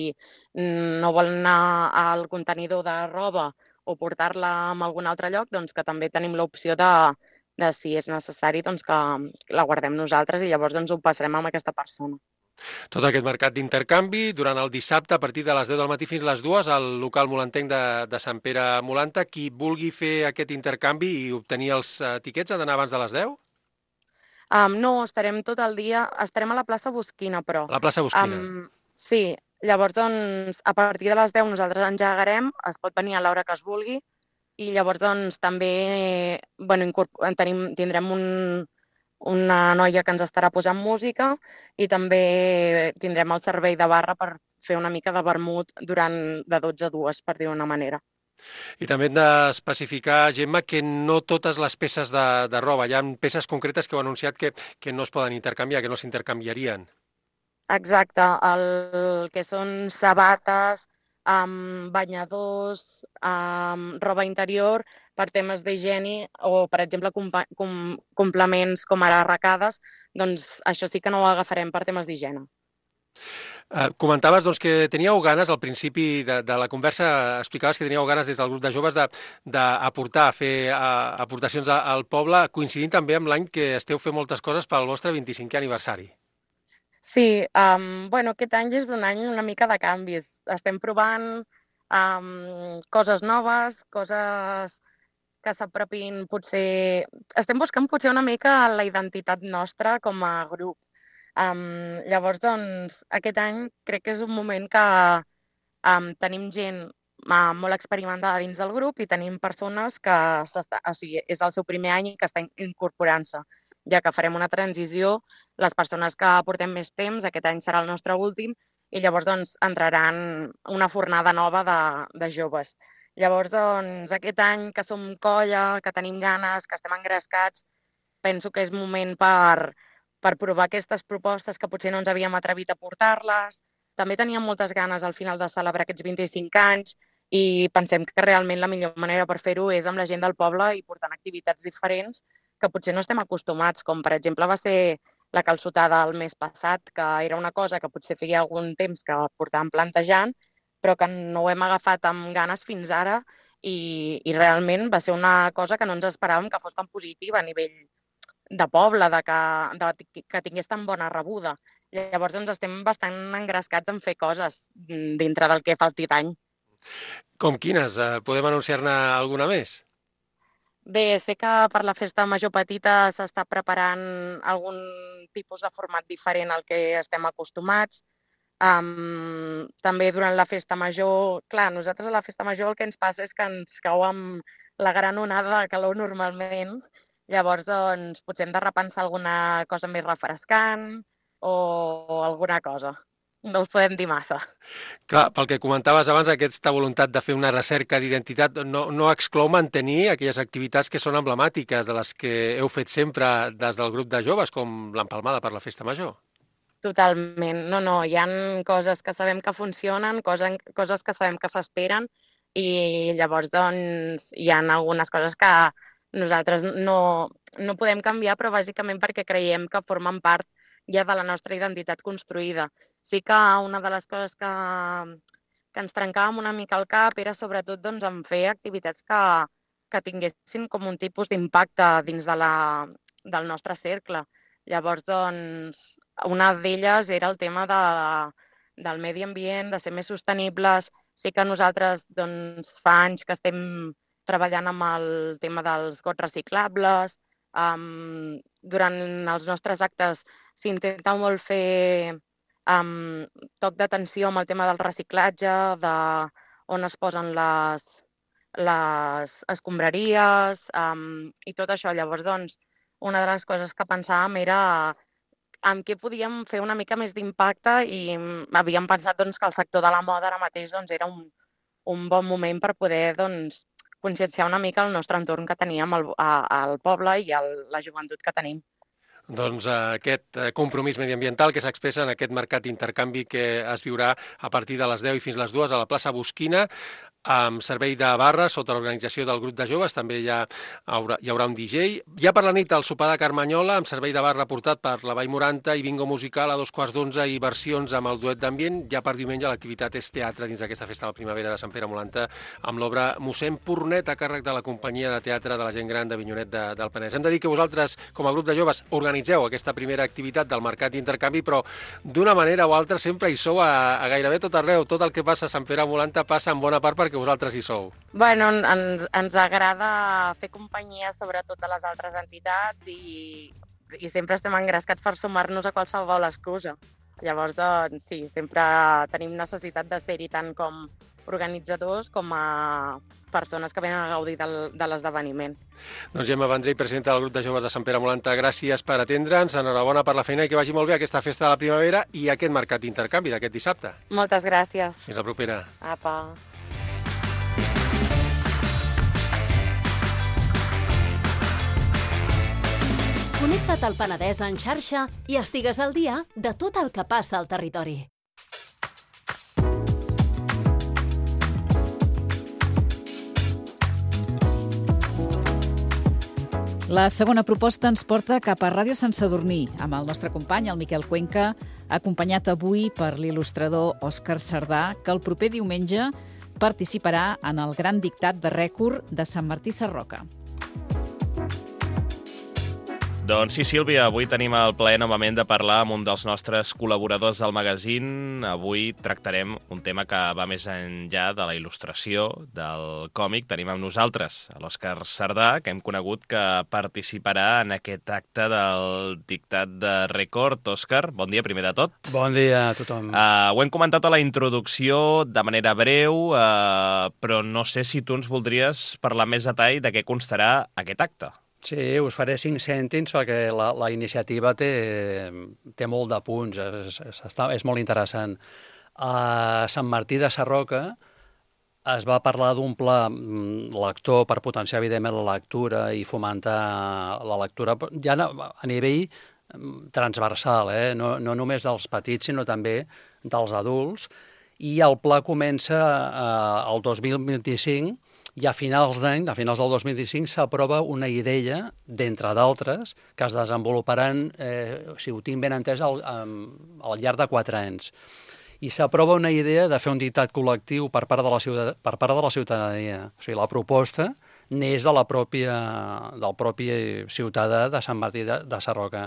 no volen anar al contenidor de roba o portar-la a algun altre lloc, doncs que també tenim l'opció de, de, si és necessari, doncs que la guardem nosaltres i llavors doncs, ho passarem amb aquesta persona. Tot aquest mercat d'intercanvi durant el dissabte a partir de les deu del matí fins les dues al local molantenc de, de Sant Pere Molanta. Qui vulgui fer aquest intercanvi i obtenir els eh, tiquets ha d'anar abans de les deu? Um, no, estarem tot el dia, estarem a la plaça Bosquina, però. A la plaça Bosquina. Um, sí, llavors, doncs, a partir de les deu nosaltres engegarem, es pot venir a l'hora que es vulgui, i llavors, doncs, també bueno, incorpor- tenim, tindrem un, una noia que ens estarà posant música i també tindrem el servei de barra per fer una mica de vermut durant de dotze a dues, per dir-ho d'una manera. I també hem d'especificar, Gemma, que no totes les peces de, de roba, hi ha peces concretes que heu anunciat que, que no es poden intercanviar, que no s'intercanviarien. Exacte, el que són sabates, um, banyadors, um, roba interior, per temes d'higiene o, per exemple, compa- com, complements com ara arracades, doncs això sí que no ho agafarem per temes d'higiene. Eh, comentaves doncs, que teníeu ganes, al principi de, de la conversa, explicaves que teníeu ganes des del grup de joves d'aportar, fer a, aportacions a, al poble, coincidint també amb l'any que esteu fent moltes coses pel vostre vint-i-cinquè aniversari. Sí, um, bueno, aquest any és un any una mica de canvis. Estem provant um, coses noves, coses que s'apropin potser... Estem buscant potser una mica la identitat nostra com a grup. Um, llavors, doncs, aquest any crec que és un moment que um, tenim gent uh, molt experimentada dins del grup i tenim persones que s'està, o sigui, és el seu primer any i que està incorporant-se, ja que farem una transició, les persones que portem més temps, aquest any serà el nostre últim, i llavors doncs, entraran una fornada nova de, de joves. Llavors, doncs, aquest any que som colla, que tenim ganes, que estem engrescats, penso que és moment per, per provar aquestes propostes que potser no ens havíem atrevit a portar-les. També teníem moltes ganes al final de celebrar aquests vint-i-cinc anys i pensem que realment la millor manera per fer-ho és amb la gent del poble i portant activitats diferents que potser no estem acostumats, com per exemple va ser la calçotada el mes passat, que era una cosa que potser feia algun temps que portàvem plantejant, però que no ho hem agafat amb ganes fins ara i, i realment va ser una cosa que no ens esperàvem que fos tan positiva a nivell de poble, de que, de que tingués tan bona rebuda. Llavors ens estem bastant engrescats en fer coses dintre del que falti d'any. Com quines? Eh, podem anunciar-ne alguna més? Bé, sé que per la festa major petita s'està preparant algun tipus de format diferent al que estem acostumats. Um, també durant la festa major, clar, nosaltres a la festa major el que ens passa és que ens cau amb la gran onada de calor normalment. Llavors, doncs, potser hem de repensar alguna cosa més refrescant o, o alguna cosa. No us podem dir massa. Clar, pel que comentaves abans, aquesta voluntat de fer una recerca d'identitat no, no exclou mantenir aquelles activitats que són emblemàtiques, de les que heu fet sempre des del grup de joves, com l'empalmada per la festa major. Totalment. No, no, hi ha coses que sabem que funcionen, coses, coses que sabem que s'esperen i llavors, doncs, hi ha algunes coses que nosaltres no, no podem canviar, però bàsicament perquè creiem que formen part ja de la nostra identitat construïda. Sí que una de les coses que, que ens trencàvem una mica al cap era sobretot doncs, en fer activitats que, que tinguessin com un tipus d'impacte dins de la, del nostre cercle. Llavors, doncs, una d'elles era el tema de, del medi ambient, de ser més sostenibles. Sí que nosaltres doncs, fa anys que estem treballant amb el tema dels gots reciclables. Um, durant els nostres actes s'intenta molt fer um, toc d'atenció amb el tema del reciclatge, de on es posen les, les escombraries um, i tot això. Llavors, doncs, una de les coses que pensàvem era en què podíem fer una mica més d'impacte i havíem pensat doncs, que el sector de la moda ara mateix doncs, era un, un bon moment per poder doncs, conscienciar una mica el nostre entorn que teníem al, al poble i a la joventut que tenim. Doncs eh, aquest compromís mediambiental que s'expressa en aquest mercat d'intercanvi que es viurà a partir de les deu i fins les dues a la plaça Bosquina. amb servei de barra sota l'organització del grup de joves, també hi, ha, haurà, hi haurà un D J. Hi ha per la nit el sopar de Carmanyola amb servei de barra portat per la Vall Moranta i bingo musical a dos quarts d'onze i versions amb el duet d'ambient. Ja per diumenge l'activitat és teatre dins d'aquesta festa de la primavera de Sant Pere Molanta amb l'obra Mossèn Pornet a càrrec de la companyia de teatre de la gent gran de Vinyonet de, del Penedès. Hem de dir que vosaltres, com a grup de joves, organitzeu aquesta primera activitat del mercat d'intercanvi, però d'una manera o altra sempre hi sou a, a gairebé tot arreu. Tot el que passa a Sant Pere Molanta passa en bona part perquè que vosaltres hi sou. Bueno, ens, ens agrada fer companyia sobretot de les altres entitats i, i sempre estem engrescats per sumar-nos a qualsevol excusa. Llavors, doncs, sí, sempre tenim necessitat de ser-hi tant com organitzadors com a persones que venen a gaudir del, de l'esdeveniment. Doncs Gemma Vendrell, presidenta del grup de joves de Sant Pere Molanta, gràcies per atendre'ns, enhorabona per la feina i que vagi molt bé aquesta festa de la primavera i aquest mercat d'intercanvi d'aquest dissabte. Moltes gràcies. Fins la propera. Apa. Connecta't al Penedès en xarxa i estigues al dia de tot el que passa al territori. La segona proposta ens porta cap a Ràdio Sant Sadurní, amb el nostre company, el Miquel Cuenca, acompanyat avui per l'il·lustrador Òscar Sardà, que el proper diumenge participarà en el gran dictat de rècord de Sant Martí Sarroca. Doncs sí, Sílvia, avui tenim el plaer novament de parlar amb un dels nostres col·laboradors del magazín. Avui tractarem un tema que va més enllà de la il·lustració, del còmic. Tenim amb nosaltres l'Òscar Sardà, que hem conegut que participarà en aquest acte del dictat de rècord. Òscar, bon dia primer de tot. Bon dia a tothom. Uh, ho hem comentat a la introducció de manera breu, uh, però no sé si tu ens voldries parlar més detall de què constarà aquest acte. Sí, us faré cinc cèntims perquè la, la iniciativa té, té molt de punts, és, és, és molt interessant. A Sant Martí de Sarroca es va parlar d'un pla lector per potenciar, evidentment, la lectura i fomentar la lectura ja a nivell transversal, eh? no, no només dels petits, sinó també dels adults. I el pla comença eh, el dos mil vint-i-cinc i a finals d'any, a finals del dos mil vint-i-cinc, s'aprova una idea, d'entre d'altres, que es desenvoluparan, eh, si ho tinc ben entès, al, al llarg de quatre anys. I s'aprova una idea de fer un dictat col·lectiu per part de la, ciutad per part de la ciutadania. O sigui, la proposta neix de la pròpia, del propi ciutadà de Sant Martí de, de Sarroca.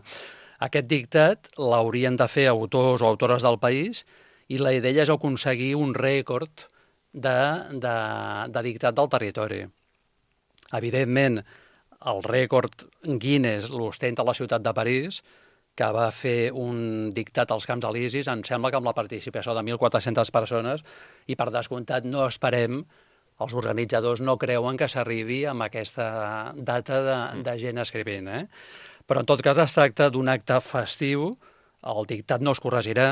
Aquest dictat l'haurien de fer autors o autores del país i la idea és aconseguir un rècord De, de, de dictat del territori. Evidentment, el rècord Guinness l'ostenta la ciutat de París, que va fer un dictat als Camps Elisis, em sembla que amb la participació de mil quatre-centes persones, i per descomptat no esperem, els organitzadors no creuen que s'arribi amb aquesta data de, de gent escrivint. Eh? Però en tot cas es tracta d'un acte festiu, el dictat no es corregirà,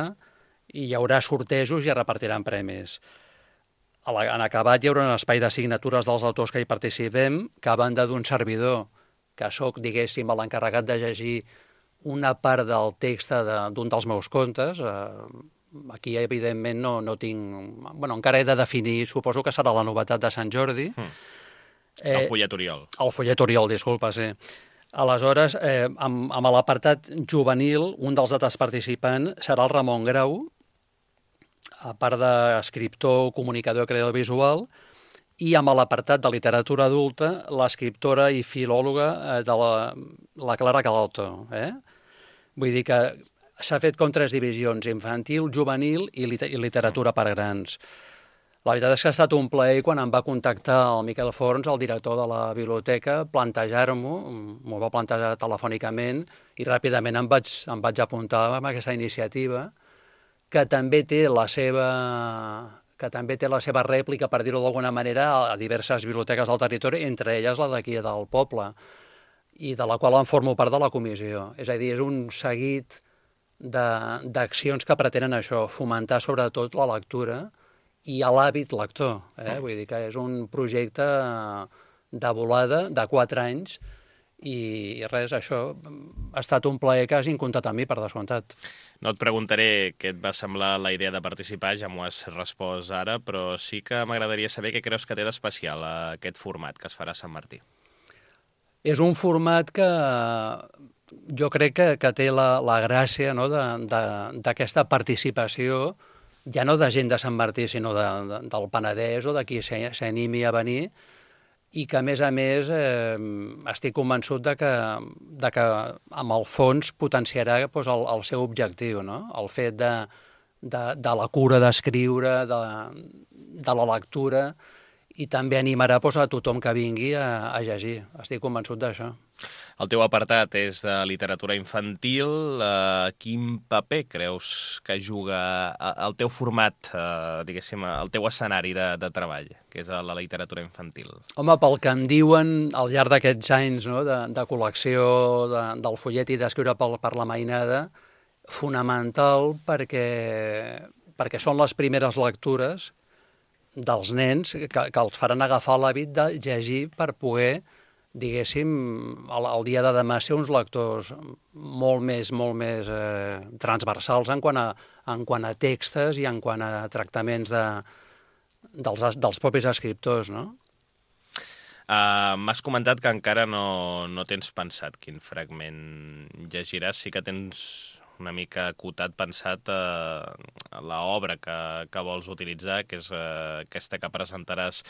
i hi haurà sortejos i es repartiran premis. En acabat hi haurà un espai de signatures dels autors que hi participem, que a banda d'un servidor, que sóc, diguéssim, l'encarregat de llegir una part del text d'un dels meus contes, eh, aquí evidentment no, no tinc... Bueno, encara he de definir, suposo que serà la novetat de Sant Jordi. Mm. Eh, el follet Oriol. El follet Oriol, disculpa, sí. Aleshores, eh, amb, amb l'apartat juvenil, un dels altres participants serà el Ramon Grau, a part d'escriptor, comunicador i creador visual, i amb l'apartat de literatura adulta, l'escriptora i filòloga de la, la Clara Calalto. Eh? Vull dir que s'ha fet com tres divisions, infantil, juvenil i, lit i literatura per grans. La veritat és que ha estat un plaer quan em va contactar el Miquel Forns, el director de la biblioteca, plantejar-m'ho, m'ho va plantejar telefònicament i ràpidament em vaig, em vaig apuntar amb aquesta iniciativa, que també té la seva, que també té la seva rèplica, per dir-ho d'alguna manera, a diverses biblioteques del territori, entre elles la d'aquí del poble, i de la qual en formo part de la comissió. És a dir, és un seguit d'accions que pretenen això, fomentar sobretot la lectura i l'hàbit lector. Eh? Vull dir que és un projecte de volada de quatre anys i res, això ha estat un plaer que hagin comptat amb mi, per descomptat. No et preguntaré què et va semblar la idea de participar, ja m'ho has respost ara, però sí que m'agradaria saber què creus que té d'especial aquest format que es farà a Sant Martí. És un format que jo crec que, que té la, la gràcia, no?, d'aquesta participació, ja no de gent de Sant Martí, sinó de, de, del Penedès o de qui s'animi a venir, i que, a més a més, eh, estic convençut de que, de que amb el fons potenciarà doncs, el, el seu objectiu, no? El fet de, de, de la cura d'escriure, de, de la lectura, i també animarà doncs, a tothom que vingui a, a llegir. Estic convençut d'això. El teu apartat és de literatura infantil. Uh, quin paper creus que juga el teu format, uh, diguéssim, el teu escenari de, de treball, que és la literatura infantil? Home, pel que em diuen al llarg d'aquests anys, no?, de, de col·lecció de, del follet i d'escriure per, per la mainada, fonamental perquè, perquè són les primeres lectures dels nens que, que els faran agafar l'hàbit de llegir per poder, diguéssim, el, el dia de demà ser uns lectors molt més, molt més eh, transversals en quant, a, en quant a textos i en quant a tractaments de, dels, dels propis escriptors, no? Uh, M'has comentat que encara no, no tens pensat quin fragment llegiràs, sí que tens una mica acotat, pensat a uh, l'obra que, que vols utilitzar, que és uh, aquesta que presentaràs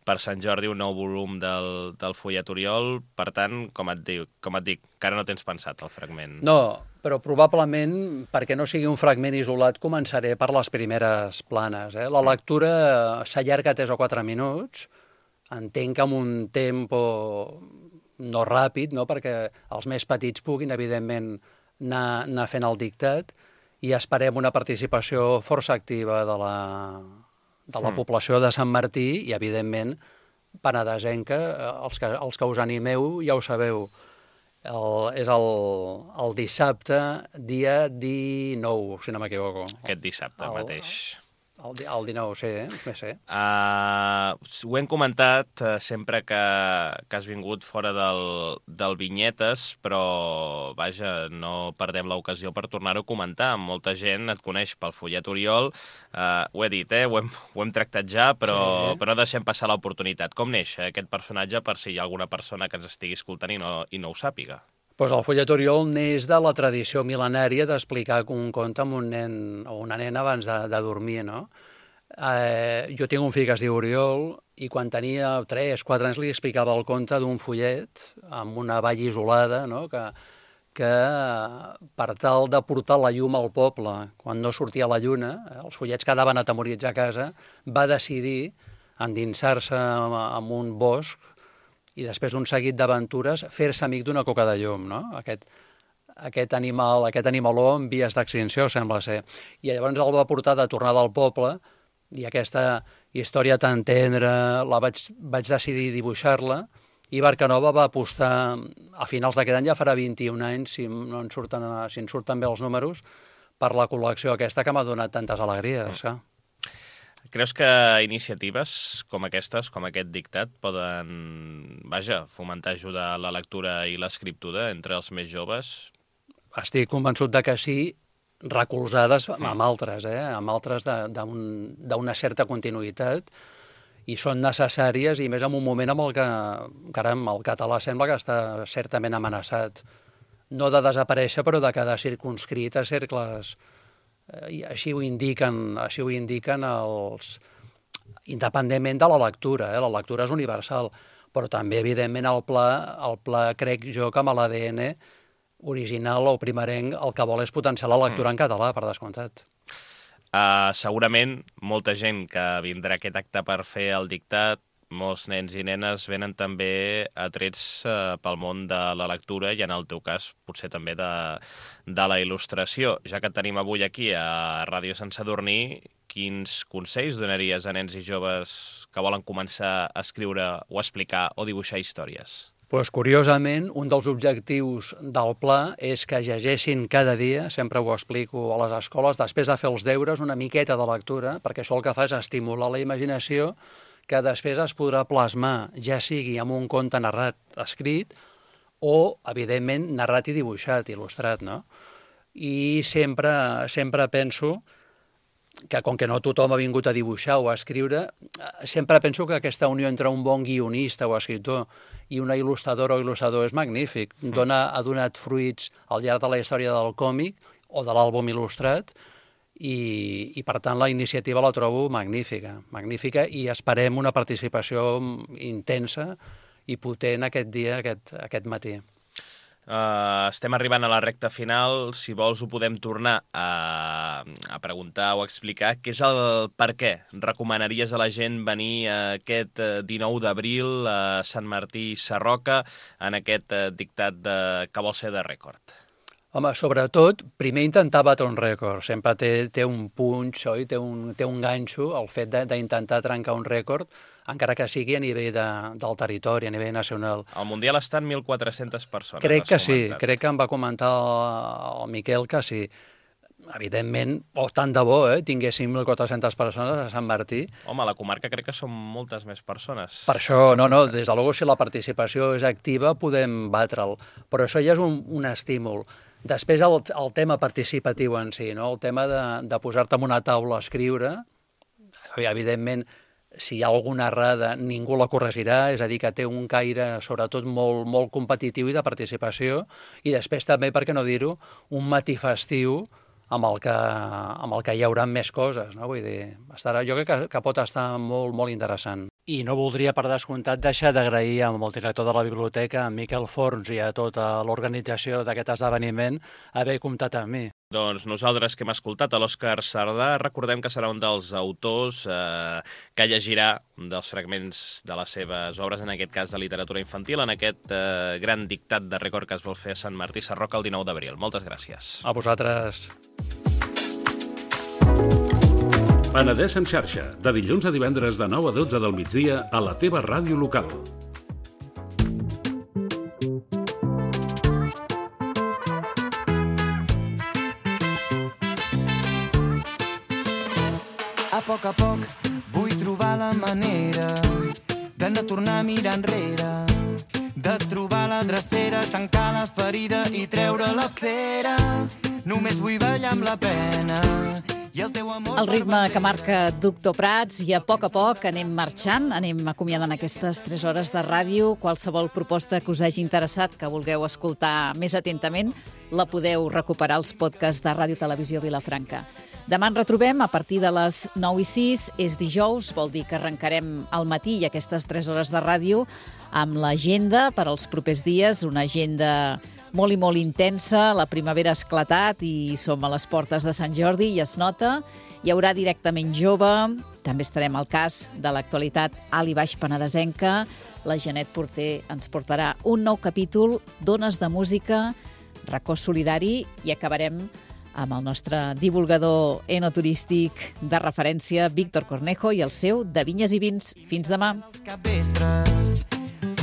per Sant Jordi, un nou volum del, del Follet Oriol. Per tant, com et, dic, com et dic, encara no tens pensat el fragment. No, però probablement, perquè no sigui un fragment isolat, començaré per les primeres planes. Eh? La lectura s'allarga tres o quatre minuts, entenc que amb un tempo no ràpid, no? Perquè els més petits puguin, evidentment, anar, anar fent el dictat, i esperem una participació força activa de la, de la mm. població de Sant Martí i, evidentment, penedesenca. Els que, els que us animeu ja ho sabeu. El, és el, el dissabte, dia dinou, si no m'equivoco. Aquest dissabte el, mateix. El, el dinou, sí, eh? Sí. Uh, ho hem comentat uh, sempre que, que has vingut fora del, del Vinyetes, però, vaja, no perdem l'ocasió per tornar-ho a comentar. Molta gent et coneix pel Follet Oriol. Uh, ho he dit, eh? Ho hem, ho hem tractat ja, però, sí. però no deixem passar l'oportunitat. Com neix aquest personatge, per si hi ha alguna persona que ens estigui escoltant i no, i no ho sàpiga? Pues el Follet Oriol neix de la tradició mil·lenària d'explicar un conte amb un nen o una nena abans de, de dormir, no? Eh, jo tinc un fill que es diu Oriol i quan tenia tres quatre anys li explicava el conte d'un follet amb una vall isolada, no? que, que per tal de portar la llum al poble, quan no sortia la lluna, eh, els follets quedaven atemorits a casa, va decidir endinsar-se en un bosc i després d'un seguit d'aventures fer-se amic d'una coca de llum, no? Aquest, aquest animal, aquest animaló en vies d'extinció, sembla ser. I llavors el va portar de tornada al poble i aquesta història tan tendra la vaig, vaig decidir dibuixar-la i Barcanova va apostar a finals d'aquest any, ja farà vint-i-un anys, si, no en surten, si en surten bé els números, per la col·lecció aquesta que m'ha donat tantes alegries. Mm. Creus que iniciatives com aquestes, com aquest dictat, poden, vaja, fomentar, ajudar la lectura i l'escriptura entre els més joves? Estic convençut de que sí, recolzades amb altres, eh? amb altres d'una certa continuïtat, i són necessàries, i més en un moment en el que, caram, el català sembla que està certament amenaçat, no de desaparèixer, però de quedar circumscrit a cercles. I així ho indiquen, així ho indiquen els... independentment de la lectura, eh? La lectura és universal, però també, evidentment, el pla, el pla crec jo que amb l'A D N original o primerenc el que vol és potenciar la lectura mm. en català, per descomptat. Uh, segurament molta gent que vindrà a aquest acte per fer el dictat, molts nens i nenes venen també atrets uh, pel món de la lectura i en el teu cas potser també de, de la il·lustració. Ja que tenim avui aquí a Ràdio Sant Sadurní, quins consells donaries a nens i joves que volen començar a escriure o a explicar o dibuixar històries? Pues, curiosament, un dels objectius del pla és que llegeixin cada dia, sempre ho explico a les escoles, després de fer els deures, una miqueta de lectura, perquè això el que fa és estimular la imaginació, que després es podrà plasmar, ja sigui amb un conte narrat escrit o, evidentment, narrat i dibuixat, il·lustrat, no? I sempre, sempre penso que, com que no tothom ha vingut a dibuixar o a escriure, sempre penso que aquesta unió entre un bon guionista o escriptor i una il·lustradora o il·lustrador és magnífic. Dona, ha donat fruits al llarg de la història del còmic o de l'àlbum il·lustrat, i, i per tant la iniciativa la trobo magnífica, magnífica, i esperem una participació intensa i potent aquest dia, aquest, aquest matí. Uh, estem arribant a la recta final. Si vols ho podem tornar a, a preguntar o a explicar què és el per què recomanaries a la gent venir aquest dinou d'abril a Sant Martí Sarroca en aquest dictat de, que vol ser de rècord. Home, sobretot, primer intentar batre un rècord. Sempre té, té un punx, oi? Té un, té un ganxo el fet d'intentar trencar un rècord, encara que sigui a nivell de, del territori, a nivell nacional. Al Mundial estan mil quatre-centes persones. Crec que sí, crec que em va comentar el, el Miquel que sí. Evidentment, o tant de bo, eh, tinguéssim mil quatre-centes persones a Sant Martí. Home, a la comarca crec que són moltes més persones. Per això, no, no, des de luego, si la participació és activa, podem batre'l. Però això ja és un, un estímul. Després el, el tema participatiu en si, no? El tema de, de posar-te en una taula a escriure, evidentment, si hi ha alguna errada, ningú la corregirà, és a dir, que té un caire, sobretot, molt, molt competitiu i de participació, i després també, per què no dir-ho, un matí festiu amb el que, amb el que hi haurà més coses, no? Vull dir, estarà, jo crec que, que pot estar molt, molt interessant. I no voldria, per descomptat, deixar d'agrair amb el director de la biblioteca, en Miquel Forns, i a tota l'organització d'aquest esdeveniment, haver comptat amb mi. Doncs nosaltres que hem escoltat a l'Òscar Sardà, recordem que serà un dels autors eh, que llegirà dels fragments de les seves obres, en aquest cas de literatura infantil, en aquest eh, gran dictat de rècord que es vol fer a Sant Martí Sarroca el dinou d'abril. Moltes gràcies. A vosaltres. Penedès en xarxa, de dilluns a divendres de nou a dotze del migdia a la teva ràdio local. A poc a poc vull trobar la manera de no tornar a mirar enrere, de trobar la drecera, tancar la ferida i treure la cera. Només vull ballar amb la pena. El ritme que marca Doctor Prats, i a poc a poc anem marxant, anem acomiadant aquestes tres hores de ràdio. Qualsevol proposta que us hagi interessat, que vulgueu escoltar més atentament, la podeu recuperar als podcasts de Ràdio Televisió Vilafranca. Demà ens retrobem a partir de les nou i sis, és dijous, vol dir que arrencarem al matí i aquestes tres hores de ràdio amb l'agenda per als propers dies, una agenda molt i molt intensa. La primavera ha esclatat i som a les portes de Sant Jordi i es nota. Hi haurà directament jove, també estarem al cas de l'actualitat alt i baix penedesenca. La Janet Porter ens portarà un nou capítol d'Ones de Música, racó solidari, i acabarem amb el nostre divulgador enoturístic de referència, Víctor Cornejo, i el seu de Vinyes i Vins. Fins demà.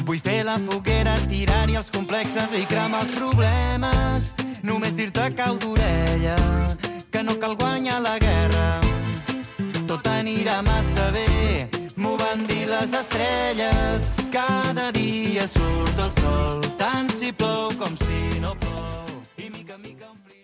Vull fer la foguera, tirar-hi els complexes i cremar els problemes. Només dir-te cau d'orella que no cal guanyar la guerra. Tot anirà massa bé, m'ho van dir les estrelles. Cada dia surt el sol, tant si plou com si no plou. I mica, mica omplir...